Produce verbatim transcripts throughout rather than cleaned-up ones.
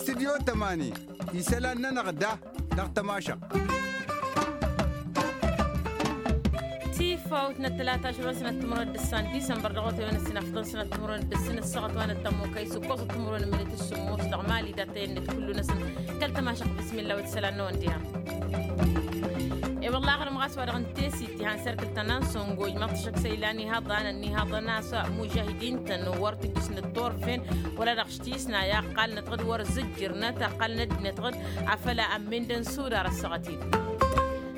Studyo tămani isălan-nănăɣ da dăɣ-tămašăɣt. Tifawt n-ăttălata ašăl wa n-sănăt timǝrwen d-ǝssan disămbăr dăɣ-otăwen ăssinafḍăn sănăt timǝrwen d-ǝssin ăssaɣăt wa n-ăttămokăy s-ǝkkoẓăt timǝrwen n-mălet s-sǝmmos dăɣ-mali datăyăn-net kullu-năsăn. Kăl-tămašăɣt bismilla wa t-isălan-năwăn diha. E-wălla aɣrǝm ɣas wa dăɣ-n tesit ihan serkǝl ta n-ansongo ijmăḍ-t ašăk s-ila n-ihaḍan ănnihaḍăn a-s mužahidin-tăn wăr tǝjjǝsnăt turfen wăla dăɣ-s tisna i-ăqqalnăt ɣǝd wăr zǝjjǝrnăt ăqqalnăt d-inăt ɣǝd afăl ămmendăn sudar ăssaɣăt-in.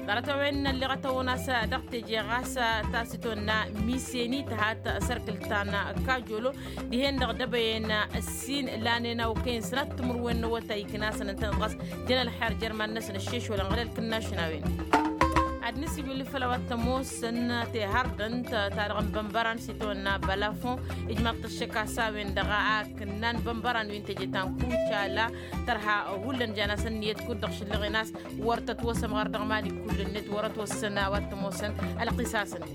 Ḍarăt a-wen n-ălleɣăt a-wen a-s dăɣ-teje ɣas tasitonna miseni tăhat sărkǝl ta n-kajolo dihen-dăɣ dăbăyen ǝssin lanen a okăyăn sănat timǝrwen n-awătay iknasăn ǝntănăt ɣas jăn ălxer jer-iman-năsăn ăššešwălăn ɣǝlăl kǝnnašăn a-wen. Ad-nǝsǝjwǝl făll-a-wa t-ămoosăn tehărdănt ta dăɣ-n bănbăran s-itawănna bălafon ijmaḍ-t ăššăk a-s a-wen-dăɣ a kǝnnan bănbăran wi n-teje ta n-kucala tărha hullan jan-asăn ǝnniyăt kud-dăɣ šǝllăɣen a-s wăr tătwăsăm ɣar dăɣ-mali kull-net wăr ătwăssăn a-wa t-ămoosăn ălqisas-net.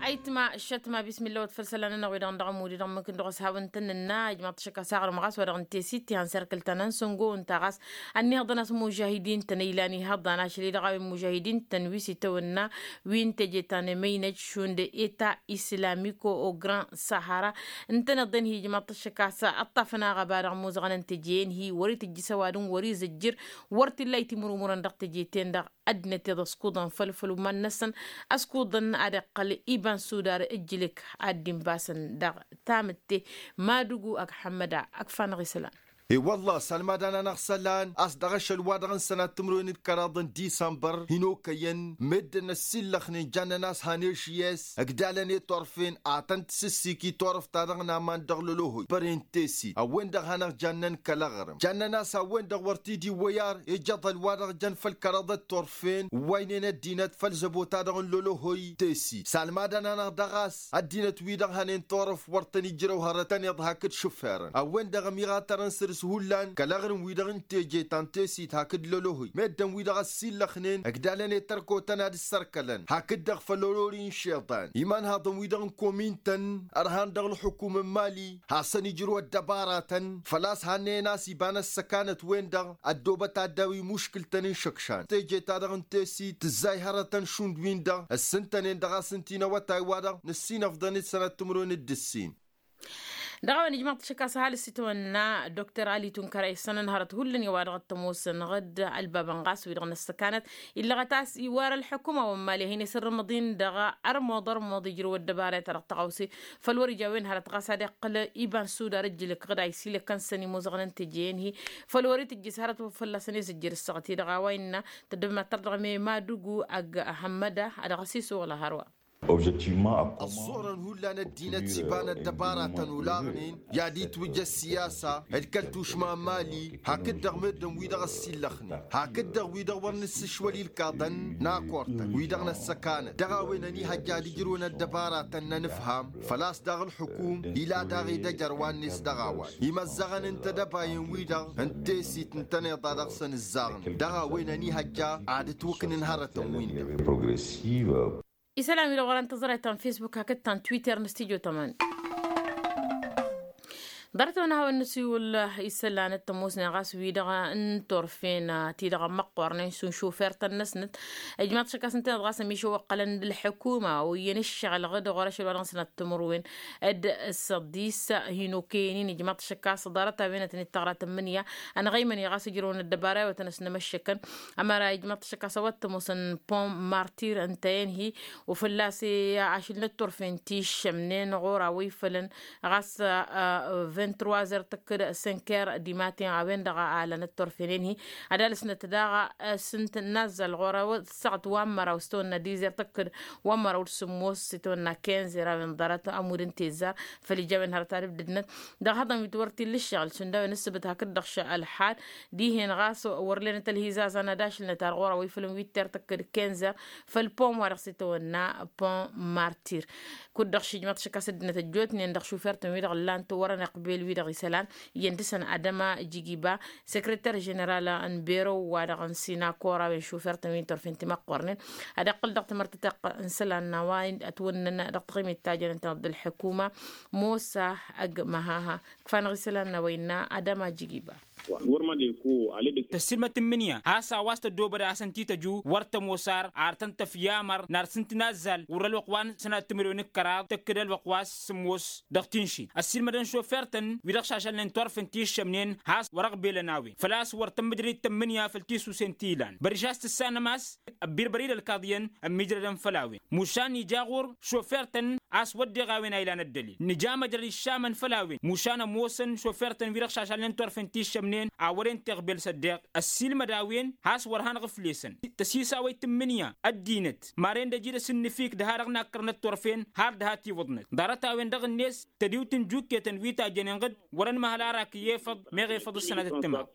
Ayǝtma šătma bismilla wăt făll-isălan-nănăɣ wi-dăɣ n-dăɣ-ămud-i dăɣ-mǝkǝn dăɣ-s hawăn-tăn-nǝnna ijmaḍ-t ašăk a-s aɣrǝm ɣas wa dăɣ-n tesit tiha n-serkǝl ta n-ansăngo ǝnta ɣas ănniihăḍăn a-s mužahidin-tăn ilan ihăḍan ašăl-i-dăɣ a-wen mužahidin-tăn wi s-itawănna wi n-teje ta n-emăynăj šund eta islamiko o grand sahara ǝntăneḍ-en hi-ijmaḍ-t ašăk a-s ǝṭṭafăn aɣăba dăɣ-imuzăɣăn n-teje-en hi wăr-itǝjjǝs ăwadǝm wăr-izǝjjǝr wăr t-illa itimǝrumǝrăn dăɣ-teje-ten-dăɣ. Ăddinăt iḍa ăskuḍăn făll-făll-uman-năsăn ăskuḍăn ad-iqqăl iba n-sudar ǝjjǝlǝk ad-dd-inbasăn dăɣ-tamǝtte. Madugu ăgg hămmăda ăgg-fanăɣ isălan. E-wălla s-almad-anăɣ isălan a-s dăɣ-ašăl-wa-dăɣ n-sănat timǝrwen d-kăraḍ n-disămbăr hin-okăyăn meddǝn ăssiillăxnen jannăn a-s han eši-s ǝgdalăn i-turfen ad-tăn-tǝsǝssik i-turăft-ta-dăɣ n-aman dăɣ-lălohoy băren tesit a-wen-dăɣ hanăɣ-jannăn kăl-aɣrǝm jannăn a-s a-wen-dăɣ wăr t-dd-iwwăy ar ejăḍăl wa-dăɣ jăn făll-kăraḍăt turfen ǝwwaynen ăddinăt făll-zăbo-ta-dăɣ n-lălohoy tesit s-almadăn-anăɣ daɣ a-s ăddinăt-wi-dăɣ hănen turăft wăr tăn-ijrăw hărăt tăn-iḍhak d-išǝfferăn a-wen-dăɣ ămiɣatărăn săr-s hullan kăl-aɣrǝm-wi-dăɣ n-teje ta n-tesit hakd lălohoy meddǝn-wi-dăɣ ăssiillăxnen ǝgdalăn i-tărkotăn ad-ǝssărkălăn hakd-dăɣ făll-orori n-išiḍan imanhaḍăn-wi-dăɣ n-komin-tăn ărhan dăɣ-ǝlxǝkum n-mali hasăn-ijrǝw ăddăbaratăn făl-a-s hannăyăn a-s iba n-ăssăkanăt-wen-dăɣ ăddoobăt ad-daw-i muškǝl-tăn n-išǝkšan teje-ta-dăɣ n-tesit tǝzzay hărătăn šund-win-dăɣ ǝssǝntănen dăɣ-a-s ǝnta-i n-awătay-wa-dăɣ nǝssinăfḍăn-dd sănat timǝrwen d-ǝssin. Dăɣ-a-wen ijmăḍ-t ašăk a-s ăhalǝs itwănna dokter ali tunkăra issănăn hărăt hullan i-wa-dăɣ t-ămoosăn ɣǝd ălbabăn ɣas wi-dăɣ n-ăssăkanăt illăɣăt a-s iwar ălḥukuma wa n-mali a hin-esǝrrǝmăḍ-in dăɣ-ărmuḍ ărmuḍ ijrǝw ăddăbara i-ta dăɣ-tăɣawse făl wăr-ija a-wen hărăt ɣas ad-iqqăl iba n-sudar ǝjjǝlǝk ɣǝd a isilăkkăn-săn imuzăɣăn n-teje-en-hi făl wăr-itǝjjǝs hărăt fălla-săn izǝjjǝr ǝssaɣăt-i-dăɣ a-wa innă tăddăbmat tărdăɣme madugu ăgg hămmăda ad-dăɣ-s isuɣǝl hărwa. Ăẓẓurăn hullan ăddinăt s-iba n-ăddăbara tăn-olaɣnen i-ad-itwǝjja ăssiyasa d-kăl-tušma n-mali hakd-dăɣ meddǝn-wi-dăɣ ăssillăxnen hakd-dăɣ wi-dăɣ wăr nǝssǝšwăl ilkaḍăn n-akortăn wi-dăɣ n-ăssăkanăt dăɣ-a-wen ănihăjja ad-ǝjrǝwăn ăddăbaratăn n-ănǝfham făl-a-s daɣ ǝlxǝkum ila daɣ edăjăr wa-net dăɣ-a-wa imăzzăɣăn n-tedăbayen-wi-dăɣ n-tesit ǝntăneḍ a dăɣ-săn ǝzzaɣnen dăɣ-a-wen ănihăjja ad-ǝtwǝknǝn hărătăn-win-dăɣ. Isălan wi-dăɣ wăren tăẓrayt ta n-fesbuk hakd ta n-twitter n-studyo tăman. Ḍarăt-wen a hawăn-nǝsǝy wălla isălan d-tămoosnen ɣas wi-dăɣ n-turfen ti-dăɣ ămmăqqornen šund šufer-tăn-năsnăt ijmaḍ-t ašăk a-s ǝntăneḍ ɣas ămišăw ǝqqălăn d-ǝlḥǝkuma oyyăn ǝššăɣǝl ɣǝd ɣur-ašăl wa dăɣ-năsnăt timǝrwen d-săḍis hin-okăyăn-in ijmaḍ-t ašăk a-s ḍarăt-a-wen ad-tăn-dd-tăɣra tǝmmǝnǝya ănɣăymăn i-ɣas ǝjrăwăn ăddăbara i-wa tăn-ăsnămăššăkăn. Ămăra ijmaḍ-t ašăk a-s a-wa t-ămoosăn pon martir ǝnta-en-hi u-fălla-s ašǝl n-ătturfen ti ǝššămnen ɣur-a-wa ifălăn ɣas vint-truazer tăkk-dd sinker dimaten a-wen-dăɣ a ălăn ătturfen-en-hi ad-alǝsnăt daɣ s-ǝnta n-azzal ɣur-a-wa ăssaɣăt wa n-măraw s-tăwănna dizer tăkk-dd wa n-măraw d-sǝmmos s-tăwănna kinzer a-wen ḍarăt ămudd n-tezzar făl ija a-wen hărăt ad-ǝbdǝdnăt dăɣ-ihăḍăn wi t-wăr t-illa ǝššăɣǝl šund a-wen ǝssǝbǝt hakd-dăɣ š-ălḥal dihen ɣas wăr lenăt ălhizazan ad-ašǝlnăt ar ɣur-a-wa ifălăn wi t-tertăkk d-kinzer făll-pon wa dăɣ-s itawănna pon martir. Kud-dăɣ šijmăḍ šăkk a-s ăddinăt ăjjootnen dăɣ-šufer-tăn wi-dăɣ ǝllan-t wăren. Bel-wi-dăɣ isălan iyyăn dăɣ-săn adăma jigiba, sekreter ženeral n-berăw-wa-dăɣ n-sinakora wen šufer-tăn wi n-turfen timăqqornen ad-iqqǝl dăɣ-timărtăteɣt n-isălan n-a-wa ătwănnăn dăɣ-taɣimit ta jănen-tăn dd-ălḥukuma. Mosa ăgg măhaha ǝkfanăɣ isălan n-a-wa innă adăma jigiba. Tăssiilmăt n-imǝnǝya has-a-wa s-tăddoobăd a-s ǝnta-i tăju wăr tămoos ar ar tăn-tăfya amăr n-ar s-ǝntǝnazzal wăr-ălwăqq wa n-sănat timǝrwen d-kăraḍ tǝkkǝd ălwăqq wa s-sǝmmos. Dăɣ-tinšit ăssiilmădăn šofer-tăn wi-dăɣ šašălnen turfen ti ǝššămnen has-wăr-ăɣbelăn a-wen făl-a-s wăr tămmǝjrăd-dd tămmǝnǝya făll-tisusen ti ilan băriš a-s tǝssanăm a-s ăbbirbăr-dd ălkaḍiyăn ămmiijrădăn făll-a-wen. Mušan ija ɣur-šofer-tăn a-s wădden a-wen a ilan ăddălil nǝja măjrăd iššamăn făll-a-wen mušan ămoosăn šofer-tăn wi-dăɣ šašalnen turfen ti ǝššămnen a wăren teɣbel s-ăddeɣ ăssiilmăd a-wen. Has-wăr hanăɣ-ǝflesăn tăsisawăy tǝmmǝnǝya ăddinăt maren d-ăjidăs ǝnnǝfik d-ha-dăɣ nakkărnăt turfen har d-ha-tiwǝḍnăt ḍarăt-a-wen-dăɣ-net tădiwt n-jukketăn wi tajjănen ɣǝd wăr-ănmăhăl arak i-efăḍ meɣ efăḍ ǝssănatăt tǝmaw.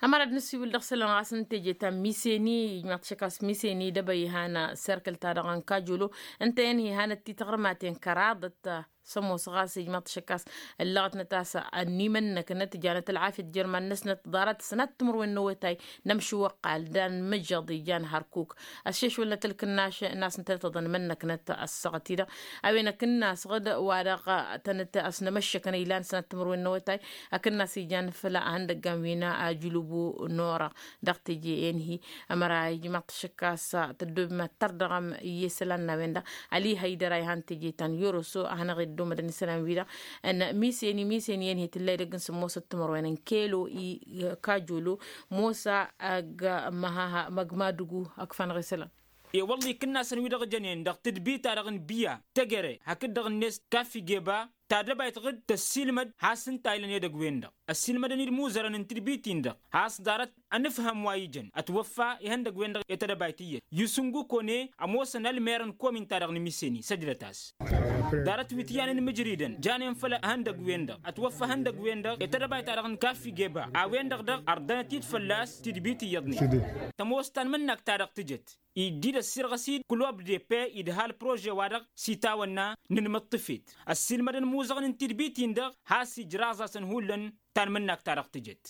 Ămăra d-nǝsiwǝl dăɣ-isălan ɣas n-teje ta n-miseni ijmaḍ-t šăkkas miseni dăbăy ihana serkǝl-ta-dăɣ n-kajolo ǝnta i-ănhi hanăt-ti taɣrǝmaten kăraḍăt. Sămoos ɣas ijmaḍ-t šăkkas ǝllăɣătnăt a-s ănimănnăknăt janăt ălɣafyăt jer-iman-năsnăt ḍarăt sănat timǝrwen n-awătay. Nămšǝwăqqal d-anmǝjăḍ ijan hărkuk ăššešwălnăt ǝlkǝnnaš n-a-s ǝntăneḍ tăḍănmănnăknăt ăssaɣăt-i-dăɣ a-wen ăkǝnnas ɣǝd wa-dăɣ tănăt-ăsnămăššăkăn ilan sănat timǝrwen n-awătay. Ăkǝnnas ijan făll-ahăndăggan wi n-ajǝlubu n-orăɣ dăɣ-teje i-ănhi. Ămăra ijmaḍ-t šăkkas tăddob imattăr dăɣ-ămm iyyăsălan n-a-wen-dăɣ ali hăydăr a ihan teje ta n-yoroso a hanăɣ-dd-omădăn isălan-wi-dăɣ n-miseni miseni i-ănhi tǝlla edăgg n-sǝmmosăt timǝrwen n-kelo i-kajolo mosa ăgg măhaha măgg madugu ăkfanăɣ isălan. E-wălla ikǝnnasăn wi-dăɣ jănen dăɣ-tǝdbi-ta-dăɣ n-biya tăgere hakd-dăɣ-net kaffi geba tadăbayt ɣǝd tăssiilmăd has-ǝnta ilăn edăgg-wen-dăɣ ăssiilmădăn-dd imuzărăn n-tǝdbit-in-dăɣ has-ḍarăt ănǝfhăm wa ijăn ătwăffa ihăndăgg-wen-dăɣ i-tadăbayt iyyăt yusǝngu kone ămoosăn ălmer n-komin-ta-dăɣ n-miseni săjdăt-as. Ḍarăt wi t-iyyăn inmǝjridăn janen făll-ihăndăgg-wen-dăɣ ătwăffa ihăndăgg-wen-dăɣ i-tadăbayt-ta-dăɣ n-kaffi geba a-wen-dăɣ daɣ ărdănăt-dd fălla-s tidbit iyyăḍnen. Tămoos tanmǝnnakt-ta-dăɣ tǝjăt iddid ăssirɣăs-dd kulub d-eppe idha ălprože-wa-dăɣ s-itawănna n-inmǝṭṭǝfet ăssiilmădăn imuzăɣăn n-tidbit-in-dăɣ has-ijraẓ-asăn hullan. Tanmǝnnakt-ta-dăɣ tǝjăt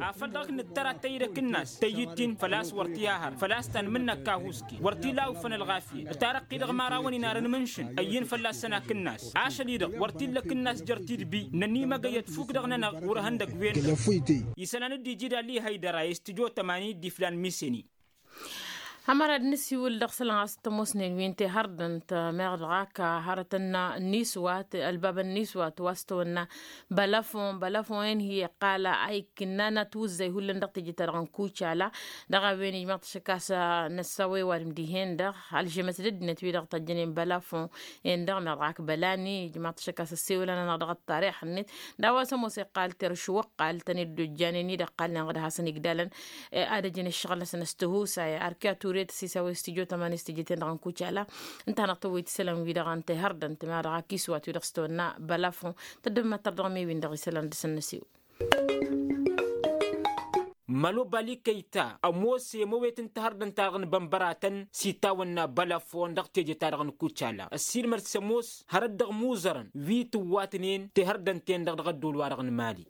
afăl dăɣ-ak nǝttăr ad-tăyyǝd akǝnnas tăyyǝt-in făl-a-s wăr t-iha hărăt făl-a-s tanmǝnnakt kahusken wăr t-illa a uffăn ălɣafyăt ǝtarăqqi-dăɣ imărawăn inarăn mǝnšǝn ăyyǝn fălla-săn akǝnnas ašăl-i-dăɣ wăr t-illa akǝnnas jer-tidbi. Nănimăgăy ătfuk dăɣ-nănăɣ wăr ehăndăgg-wen-dăɣ isălan dd-iji d-alli hăydăra i-s tǝjo tămani dd-iflan miseni. Ămăra d-nǝsiwǝl dăɣ-isălan ɣas t-ămoosnen wi n-tehărdănt meɣ dăɣ-ak hărătăn n-iswat ălbabăn n-iswat wa s-tăwănna bălăfon bălăfon-en hi-iqqal a ikǝnnan atwǝzzay hullan dăɣ-teje-ta-dăɣ n-kucala. Dăɣ-a-wen ijmăḍ-t šăkkas năssawăy ăwadǝm dihen-dăɣ ălžămăt d-ăddinăt wi-dăɣ tăjjănen bălăfon-en-dăɣ meɣ dăɣ-ak bălani ijmăḍ-t šăkkas ăssewălăn-anăɣ dăɣ-ăṭṭarix-net d-a-wa s-ămoos iqqal terš wăqqal tăn-dd-ojjanen-i d-ăqqalnen ɣǝd hasăn-igdalăn ad-ăjǝn ǝššăɣǝl-năsăn s-tihusay arkiya ture tăsisawăy s-tijo tămani s-tijeten-dăɣ n-kucala. Ǝnta a hanăɣ-tăwwăyt isălan-wi-dăɣ n-tehărdănt meɣ dăɣ-ak iswat wi-dăɣ s-tăwănna bălăfon. Tăddăb măttăr dăɣ-me-win-dăɣ isălan dăr-săn năsiwǝl. Mălobali kăyta ămoos i-măwet n-tehărdănt-ta-dăɣ n-bănbăratăn s-itawănna bălăfon dăɣ-teje-ta-dăɣ n-kucala ăssiilmăd s-ămoos hărăt dăɣ-imuzărăn wi tǝwwatnen tehărdănt-ten-dăɣ dăɣ-ădduul-wa-dăɣ n-mali.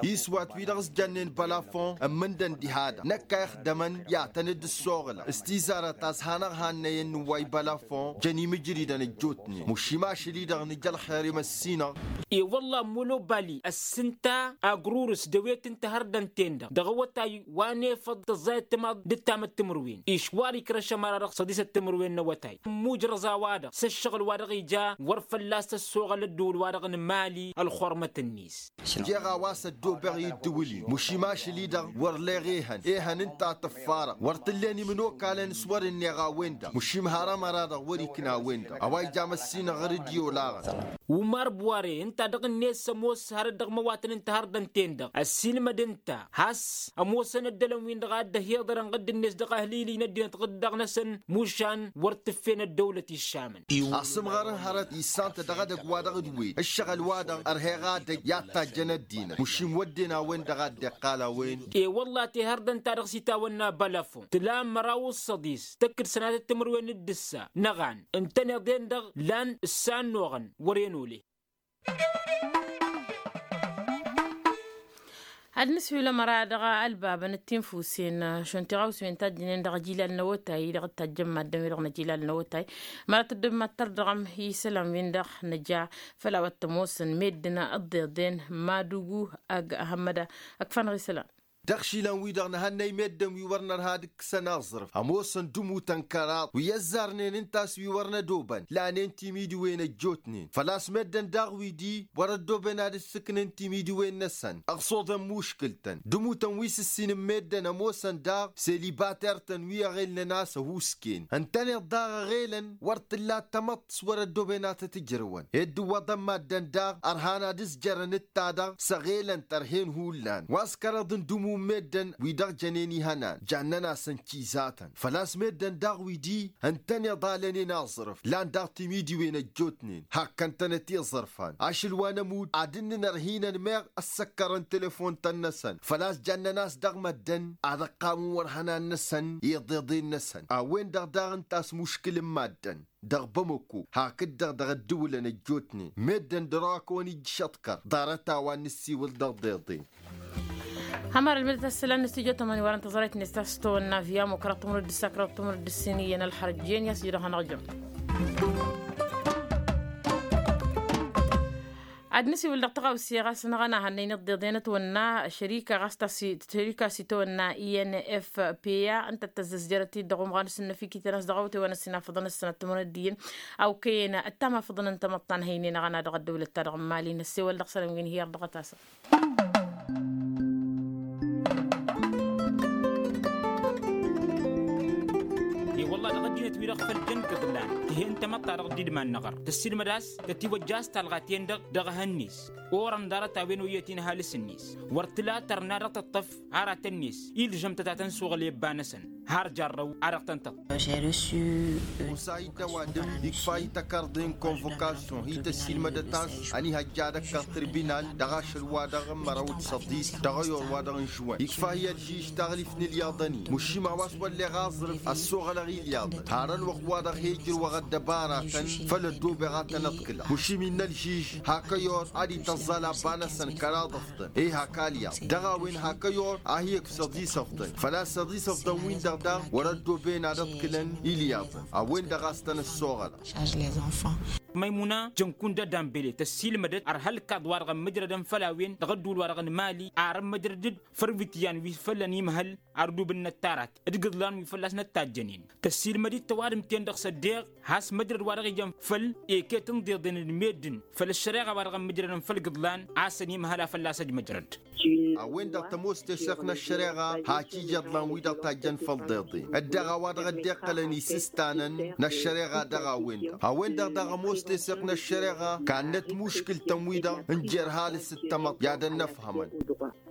Iswat wi-dăɣ s-jănnen bălăfon ǝmmǝndăn diha-dăɣ năkk a ixdămăn i-ad-tăn-dd-ǝssoɣǝlăn s-tizarăt a-s hanăɣ-hannăyăn nǝwway bălăfon jăn imǝjridăn ăjjootnen mušim ašăl-i-dăɣ nǝja ălxer i-măssinăɣ. E-wălla ămmolobali ăssǝnta agrurǝs d-ewet n-tehărdănt-ten-dăɣ dăɣ-awătay wa n-efăḍ tăẓẓayăt timaḍ d-ǝttamăt timǝrwen išwar ikrăš ămăra-dăɣ săḍisăt timǝrwen n-awătay ămmujrăẓ a-wa-dăɣ s-ǝššăɣǝl-wa-dăɣ ija wăr fălla-s tăssoɣăl ădduul-wa-dăɣ n-mali ălxurmăt-net. Jeɣ a-wa s-ăddoobeɣ i-ǝddǝwǝl-in mušim ašăl-i-dăɣ wăr leɣ ehăn ehăn ǝnta a tǝffarăɣ wăr t-ǝllen imǝnokalăn s-wăr-ǝnneɣ a-wen-dăɣ mušim har ămăra-dăɣ wăr-ikna a-wen-dăɣ a-wa ija măssinăɣ ɣur-dd-i olaɣăn. Umar buware ǝnta dăɣ-net s-ămoos hărăt dăɣ-imăwatăn n-tehărdănt-ten-dăɣ ăssiilmăd ǝnta has-ămoosăn ăddălăn-win-dăɣ a dd-ăhiḍărăn ɣǝdd-net dăɣ-ahǝlili n-ăddinăt ɣǝd-dăɣ-năsăn mušan wăr t-ǝffen ăddăwlăt iššamăn. Asǝmɣăr n-hărăt issantăt dăɣ-edăgg-wa-dăɣ d-wed ǝššăɣǝl-wa-dăɣ ărheɣ adăgg i-ad-tajjăn ăddinăt mušim wădden a-wen-dăɣ a dd-iqqal a-wen. E-wălla tehărdănt-ta-dăɣ s-itawănna bălăfon tǝla măraw d-săḍis tăkk-dd sănatăt timǝrwen d-ǝssa năɣan ǝntăneḍ-en-dăɣ lan ǝssannoɣăn wăr-en ole. Ad-nǝswǝy ula măra dăɣ-ălbabăn d-tinfusen šund tiɣawsewen tajjǝnen dăɣ-jilal n-awătay dăɣ-tajjăn maddǝn-wi-dăɣ n-jilal n-awătay. Măra tăddobem ad-tărdăɣăm isălan-win-dăɣ nǝja făll-a-wa t-ămoosăn meddǝn ăḍḍeḍen madugu ăgg-ahămmăda. Ăkfan ɣisălan. Dăɣ-išilan-wi-dăɣ nǝhănnăy meddǝn wi wăr nărha ad-ǝkkǝsăn aẓrǝf ămoosăn d-imutăn kăraḍ wi ăzzarnen ǝnta a-s wi wăr nădobăn lanen timidiwen ăjjootnen făl-a-s meddǝn daɣ wi-di wăr-ăddoben ad-ǝssǝknen timidiwen-năsăn ăɣsoḍen muškǝl-tăn d-imutăn wi s-ǝssin n-meddǝn ămoosăn daɣ selibater-tăn wi ăɣelnen a-s ăhuusken ǝntăneḍ daɣ ăɣelăn wăr t-ǝlla tamăḍt s-wăr-ăddoben ad-tăt-ǝjrǝwăn ed dd-ǝwwăḍăn maddǝn daɣ ărhan ad-ǝzjărăn d-ta-dăɣ s-ăɣelăn tărhen hullan wa s-kăraḍ n-dǝmu n-meddǝn wi dăɣ-jănen ihănan jannen-asăn cizatăn făl-a-s meddǝn daɣ wi-di ǝntăneḍ alănen aẓrǝf lan daɣ timidiwen ăjjootnen hak kăn-tănăt iẓrǝfan ašăl wa n-ămudd ad-ǝnnǝn ărhinăn meɣ ăssăkkărăn telefon-tăn-năsăn făl-a-s jannen-as dăɣ-măddǝn ad-ăqqamǝn wăr hănan-năsăn iḍeḍen-năsăn a-wen-dăɣ daɣ ǝnta a-s muškǝl n-maddǝn dăɣ-bamăko hakd-dăɣ dăɣ-ăddǝwǝlăn ăjjootnen meddǝn dăr-wa kăwăn-ijjǝš aḍkăr ḍarăt a-wa n-nǝssiwǝl dăɣ-ḍeḍen. Hămăr ălmǝdăt asălan n-studyo tămani wărăn tăẓrăyt-net ta s-tăwănna via mokra tămrăd d-sakra tămrăd d-siniyyăn ălxărjen i-asjădăɣ hanăɣjăm. Ad-nǝsiwǝl dăɣ-tăɣawse ɣas n-aɣăna hannăy n-iḍeḍen ătwănna šărika ɣas ta s-ităwănna i n f p a ǝnta t-tăzzăzjărăt-dd dăɣ-umɣan s-ǝnnăfikităn a-s dăɣ-awătay wa n-ăssinafăḍăn ăssanăt timǝrăddiyyăn a okăyăn ăttamafăḍăn n-tamăḍt ta n-hăynen aɣăna dăɣ-ăddăwlăt-ta-dăɣ n-imali n-ăssewăl dăɣ-isălan wi n-hi-irḍăɣăt-asăn. I-wălla dăɣ-ăddinăt-wi-dăɣ făll-jăn kăḍlan tǝhen tamăḍt-ta-dăɣ d-idman n-aɣăr tăssiilmăd a-s tătiwăjja a-s talɣa-ten-dăɣ dăɣ-ehăn-net orăn ḍarăt-a-wen oyyăt-in ăhalǝs-net wăr tǝla tărna dăɣ-tǝṭṭăf aratăn-net ilžăm-tătatăn s-oɣăl i-ăbba-năsăn har jarrăw a dăɣ-tăn-tăṭṭăf. Osa-hi d-ăwadǝm ikfa-hi tăkarḍe n-konvokasyon hi-tăssiilmădăt a-s ănihăjja ad-ăkkăɣ tirbinal dăɣ-ašăl-wa-dăɣ n-măraw d-săḍis dăɣ-ayor-wa-dăɣ n-žuwăn ikfa-hi ălžiž taɣlift n-ilyaḍăn-i mušim a-wa s-wălleɣ aẓrǝf ăssoɣălăɣ ilyaḍăn har ălwăqq-wa-dăɣ he-ǝjrǝwăɣ ăddăbaratăn făll-ăddobeɣ ad-tăn-ăḍkǝlăɣ mušim innă ălžiž hak ăyor ad-ităẓẓal abba-năsăn kăraḍ ăfḍăn i-hak alyaḍ dăɣ-a-wen hak ăyor a hi-ǝkf săḍis ăfḍăn făl-a-s săḍis ăfḍăn-win-dăɣ daɣ wăr-ăddoben ad-ăḍkǝlăn ilyaḍăn a-wen-dăɣ a-s tăn-ăssoɣălăɣ. Măymuna jăn-kund ădambele tăssiilmădăt ărha ălkaḍ-wa-dăɣ ămmǝjrădăn făll-a-wen dăɣ-ădduul-wa-dăɣ n-imali ar ămmǝjrăd-dd făll-iwǝtyan wi făll-ănimhăl ardub n-inăttarat d-igǝḍlan wi fălla-s năttajjănen tăssiilmăd-dd tăwadǝm-ten-dăɣ s-ăddeeɣ has-măjrăd wa dăɣ-ijăn făll-eketă n-iḍeḍen d-meddǝn făll-ăššăreɣa wa dăɣ-ămmǝjrădăn făll-igǝḍlan a-s ănimhăl a fălla-s ăjmăjrăd. A-wen-dăɣ tămoos teseɣt n-ăššăreɣa hak ija iḍlan-wi-dăɣ tajjăn făll-iḍeḍen ăddeɣ a-wa dăɣ-ăddeeqqălăn isǝstanăn n-ăššăreɣa dăɣ-a-wen-dăɣ a-wen-dăɣ daɣ ămoos teseɣt n-ăššăreɣa kannăt muškǝl-tăn-wi-dăɣ n-jer-halǝs d-tamăḍt i-ad-ănnăfhămăn.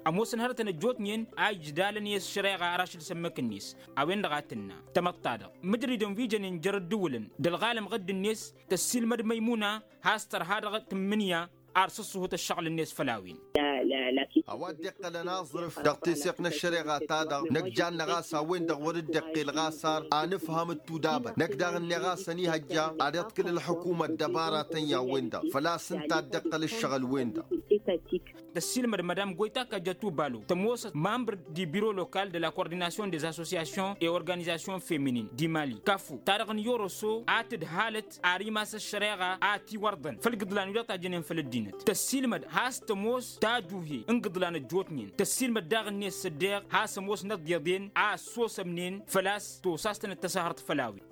Ămoosăn hărătăn ăjjootnen a ijdalăn i-ăššăreɣa ar ašăl s-ămmăk-net a-wen-dăɣ a tǝnna tamăḍt-ta-dăɣ mǝjridăn wi jănen jer-ăddǝwǝlăn d-ălɣalăm ɣǝdd-net tăssiilmăd măymuna has-tărha dăɣ-tǝmmǝnǝya ar sǝṣṣuhǝt ăššăɣǝl-net făll-a-wen. A-wa dd-iqqălăn aẓrǝf dăɣ-teseɣt n-ăššăreɣa-ta-dăɣ năkk janna ɣas a-wen-dăɣ wăr-dd-iqqel ɣas ar anǝfham d-tudabăt năkk daɣ ǝnneɣ a-s ănihăjja ad-iḍkǝl ălḥukuma ăddăbaratăn i-a-wen-dăɣ făl-a-s ǝnta a dd-iqqăl ăššăɣǝl-wen-dăɣ. Tăssiilmăd madam goyta kajjatu balo tămoosăt membre du bureau local de la coordination des associations et organisations féminines du mali kafu ta-dăɣ n-yoroso a tǝdhalăt ar imas ăššăreɣa a tiwărḍăn făll-igǝḍlan-wi-dăɣ tajjănen făll-ăddinăt tăssiilmăd has-tămoos tajuhe n-igǝḍlan ăjjootnen tăssiilmăd daɣ-net s-ăddeeɣ has-ămoosnăt d-iḍen a ăssosămnen făl-a-s tosa a-s tănăt-tăsahărt făll-a-wen.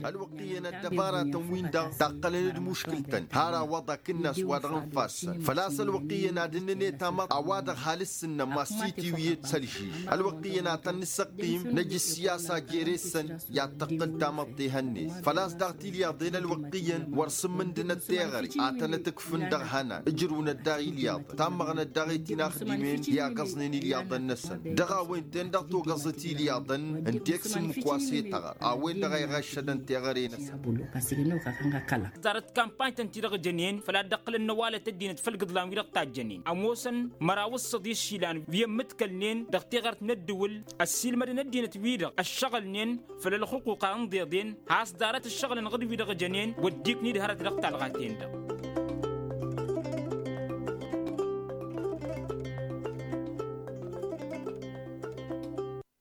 Ălwăqq iyyăn ăddăbaratăn-win-dăɣ taqqălăn d-muškǝl-tăn har awăḍa akǝnnas wa dăɣ-ǝnfassăn făl-a-s ălwăqq iyyăn ad-ǝnnǝnet amăḍ a-wa dăɣ-halǝs-ǝnnăn massitiwi ed sălžij ălwăqq iyyăn ad-tăn-nǝssăqqim năj ǝssiyasa jere-săn i-ad-tăqqǝl tamăḍt ehăn-net făl-a-s daɣ tilyaḍen ălwăqq iyyăn wăr sǝmmǝndǝnăt teɣăre a tănăt-ǝkfǝn dăɣ-ihănan ǝjrǝwnăt daɣ ilyaḍăn tammăɣnăt daɣ i-tinaxdimen i-agăẓnen ilyaḍăn-năsăn dăɣ-a-wen-ten-dăɣ togăẓăt ilyaḍăn ǝnta i-ǝksǝmmǝk wa s-e-tăɣăr a-wen-dăɣ a iɣăššădăn teɣăre-năsăn. Ḍarăt kampany-tăn-ti-dăɣ jănen făl ad-dd-ăqqǝlăn n-ăwalăt ăddinăt făll-igǝḍlan-wi-dăɣ tajjănen ămoosăn măraw d-săḍis išilan wi ămmǝdkălnen dăɣ-teɣărt n-ăddǝwǝl ăssiilmădăn ăddinăt-wi-dăɣ ăššăɣǝlnen făll-ălxǝquqa n-iḍeḍen has-ḍarăt ǝššăɣǝl-anăɣ d-wi-dăɣ jănen wăddiiknid hărăt dăɣ-talɣa-ten-dăɣ.